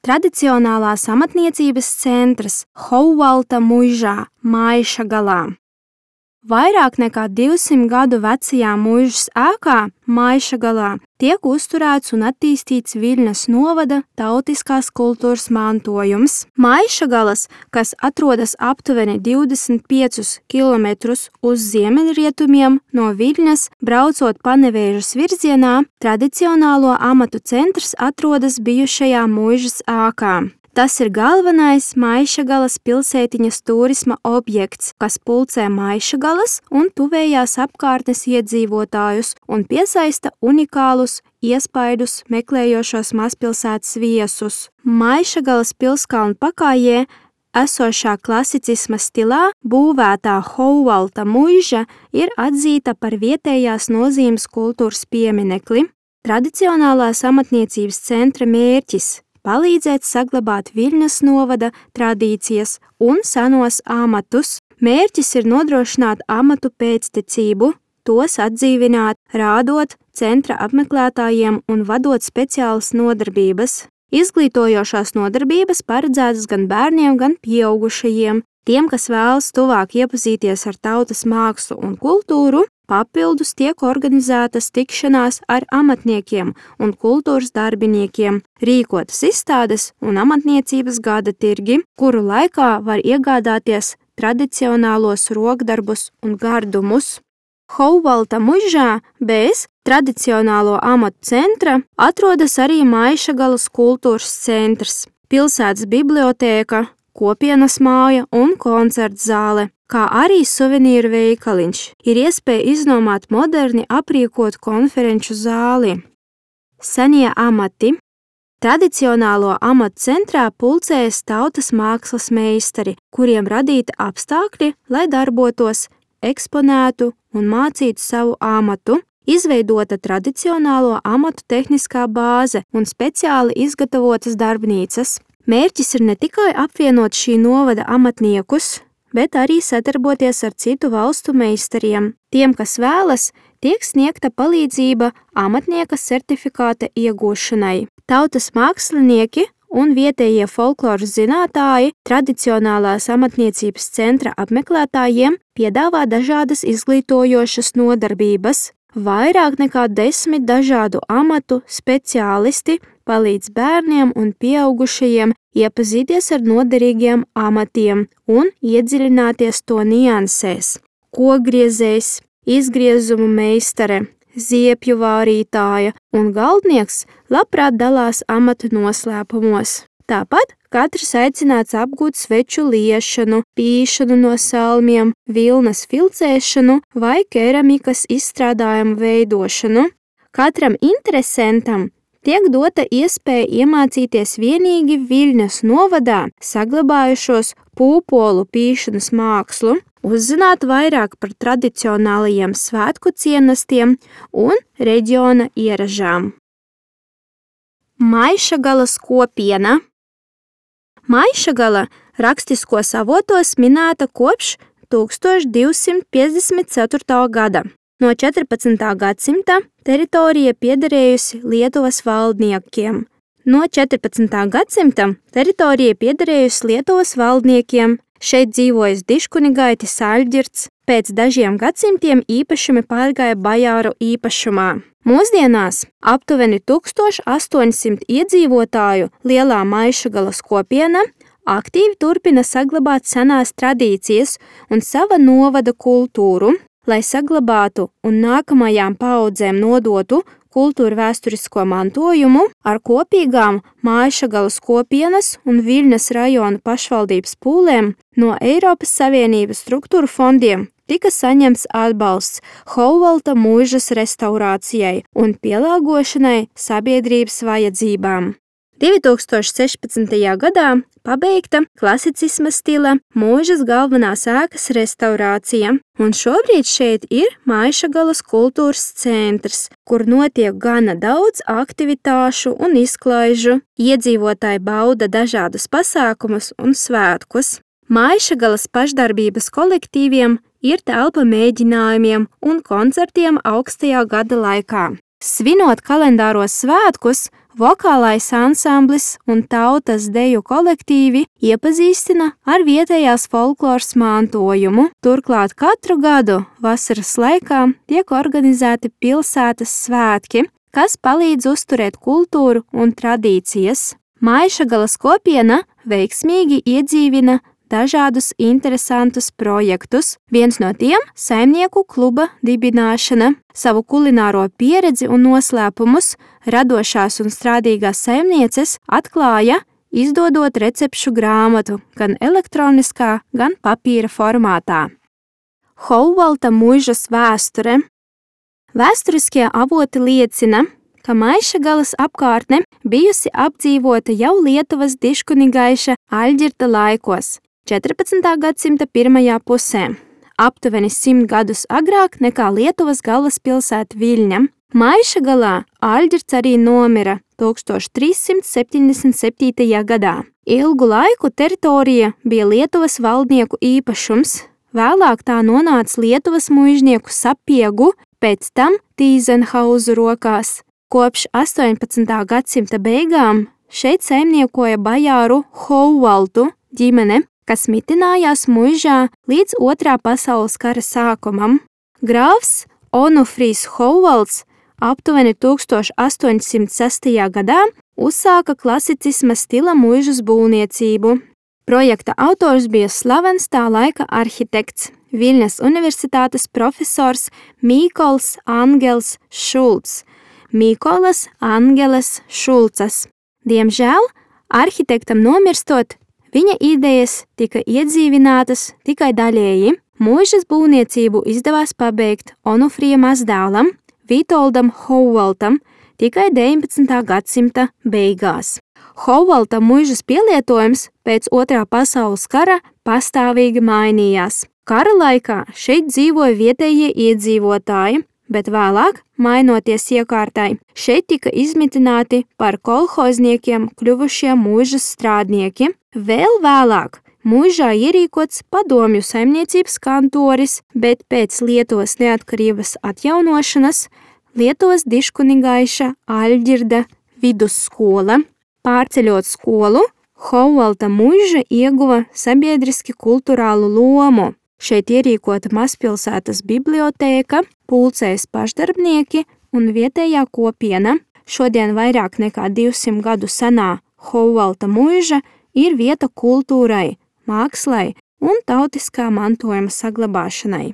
tradicionālās amatniecības centrs Houvalta muižā, Maišagalā. Vairāk nekā 200 gadu vecajā muižas ēkā Maišagalā tiek uzturēts un attīstīts Viļņas novada tautiskās kultūras mantojums. Maišagalas, kas atrodas aptuveni 25 kilometrus uz ziemeļrietumiem no Viļņas, braucot Panevēžas virzienā, tradicionālo amatu centrs atrodas bijušajā muižas ēkā. Tas ir galvenais Maišagalas pilsētiņas turisma objekts, kas pulcē Maišagalas un tuvējās apkārtnes iedzīvotājus un piesaista unikālus iespaidus meklējošos mazpilsētas viesus. Maišagalas pilskalnu pakājē esošā klasicisma stilā būvētā Houvalta muiža ir atzīta par vietējās nozīmes kultūras pieminekli. Tradicionālās amatniecības centra mērķis – palīdzēt saglabāt Viļņas novada tradīcijas un senos amatus. Mērķis ir nodrošināt amatu pēctecību, tos atdzīvināt, rādot centra apmeklētājiem un vadot speciālas nodarbības. Izglītojošās nodarbības paredzētas gan bērniem, gan pieaugušajiem. Tiem, kas vēlas tuvāk iepazīties ar tautas mākslu un kultūru, papildus tiek organizētas tikšanās ar amatniekiem un kultūras darbiniekiem, rīkotas izstādes un amatniecības gada tirgi, kuru laikā var iegādāties tradicionālos rokdarbus un gardumus. Houvalta muižā bez tradicionālo amatu centra atrodas arī Maišagalas kultūras centrs, pilsētas bibliotēka, kopienas māja un koncerta zāle, kā arī suvenīru veikaliņš. Ir iespēja iznomāt moderni aprīkot konferenču zāli. Senie amati. Tradicionālo amatu centrā pulcējas tautas mākslas meistari, kuriem radīti apstākļi, lai darbotos, eksponētu un mācītu savu amatu. Izveidota tradicionālo amatu tehniskā bāze un speciāli izgatavotas darbnīcas. Mērķis ir ne tikai apvienot šī novada amatniekus, bet arī sadarboties ar citu valstu meistariem. Tiem, kas vēlas, tiek sniegta palīdzība amatnieka certifikāta iegūšanai. Tautas mākslinieki un vietējie folkloras zinātāji tradicionālās amatniecības centra apmeklētājiem piedāvā dažādas izglītojošas nodarbības. Vairāk nekā 10 dažādu amatu speciālisti palīdz bērniem un pieaugušajiem iepazīties ar noderīgiem amatiem un iedziļināties to niansēs. Kokgriezējs, izgriezumu meistare, ziepju vārītāja un galdnieks labprāt dalās amatu noslēpumos. Tāpat katrs aicināts apgūt sveču liešanu, pīšanu no salmiem, vilnas filcēšanu vai keramikas izstrādājumu veidošanu. Katram interesentam tiek dota iespēja iemācīties vienīgi Viļņas novadā saglabājušos pūpolu pīšanas mākslu, uzzināt vairāk par tradicionālajiem svētku ciemnestiem un reģiona ieražām. Maišagalas kopiena. Maišagala rakstiskos avotos minēta kopš 1254. gada. No 14. gadsimta teritorija piederējusi Lietuvas valdniekiem. No 14. gadsimta teritorija piederējusi Lietuvas valdniekiem. Šeit dzīvojas diškunigaitis Aļģirds, pēc dažiem gadsimtiem īpašumi pārgāja bajāru īpašumā. Mūsdienās aptuveni 1800 iedzīvotāju lielā Maišagalas kopiena aktīvi turpina saglabāt senās tradīcijas un sava novada kultūru, lai saglabātu un nākamajām paaudzēm nodotu kultūra vēsturisko mantojumu. Ar kopīgām Maišagalas kopienas un Viļņas rajona pašvaldības pūlēm no Eiropas Savienības struktūru fondiem tika saņemts atbalsts Houvalta muižas restaurācijai un pielāgošanai sabiedrības vajadzībām. 2016. gadā pabeigta klasicisma stila muižas galvenās ēkas restaurācija, un šobrīd šeit ir Maišagalas kultūras centrs, kur notiek gana daudz aktivitāšu un izklaižu. Iedzīvotāji bauda dažādus pasākumus un svētkus. Maišagalas pašdarbības kolektīviem ir telpa mēģinājumiem un koncertiem augstajā gada laikā. Svinot kalendāros svētkus, Vokālais ansamblis un tautas deju kolektīvi iepazīstina ar vietējās folkloras mantojumu. Turklāt katru gadu vasaras laikā tiek organizēti pilsētas svētki, kas palīdz uzturēt kultūru un tradīcijas. Maišagalas kopiena veiksmīgi iedzīvina dažādus interesantus projektus. Viens no tiem – saimnieku kluba dibināšana. Savu kulināro pieredzi un noslēpumus radošās un strādīgās saimnieces atklāja, izdodot recepšu grāmatu gan elektroniskā, gan papīra formātā. Houvalta muižas vēsture. Vēsturiskie avoti liecina, ka Maišagalas apkārtne bijusi apdzīvota jau Lietuvas diškunigaiša Aļģirta laikos, 14. gadsimta pirmajā pusē, aptuveni 100 gadus agrāk nekā Lietuvas galvaspilsēta Viļņa. Maišagalā Aļģirts arī nomira 1377. gadā. Ilgu laiku teritorija bija Lietuvas valdnieku īpašums, vēlāk tā nonāca Lietuvas muižnieku Sapiegu, pēc tam Tīzenhauzu rokās. Kopš 18. gadsimta beigām šeit saimniekoja bajāru Houvaltu ģimene, kas mitinājās muižā līdz Otrā pasaules kara sākumam. Grāfs Onufrijs Houvalts aptuveni 1806. gadā uzsāka klasicisma stila muižas būvniecību. Projekta autors bija slavens tā laika arhitekts, Viļņas universitātes profesors Mīkols Angels Šulcs, Mīkolas Angeles Šulcas. Diemžēl, arhitektam nomirstot, viņa idejas tika iedzīvinātas tikai daļēji. Muižas būvniecību izdevās pabeigt Onufrija mazdēlam, Vitoldam Houvaltam, tikai 19. gadsimta beigās. Houvalta muižas pielietojums pēc Otrā pasaules kara pastāvīgi mainījās. Kara laikā šeit dzīvoja vietējie iedzīvotāji, bet vēlāk, mainoties iekārtai, šeit tika izmitināti par kolhozniekiem kļuvušie muižas strādnieki. Vēl vēlāk muižā ierīkots padomju saimniecības kantoris, bet pēc Lietuvas neatkarības atjaunošanas Lietuvas diškunigaiša Aļģirda vidusskola. Pārceļot skolu, Houvalta muiža ieguva sabiedriski kulturālu lomu. Šeit ierīkota mazpilsētas bibliotēka, pulcējas pašdarbnieki un vietējā kopiena. Šodien vairāk nekā 200 gadu senā Houvalta muiža ir vieta kultūrai, mākslai un tautiskā mantojuma saglabāšanai.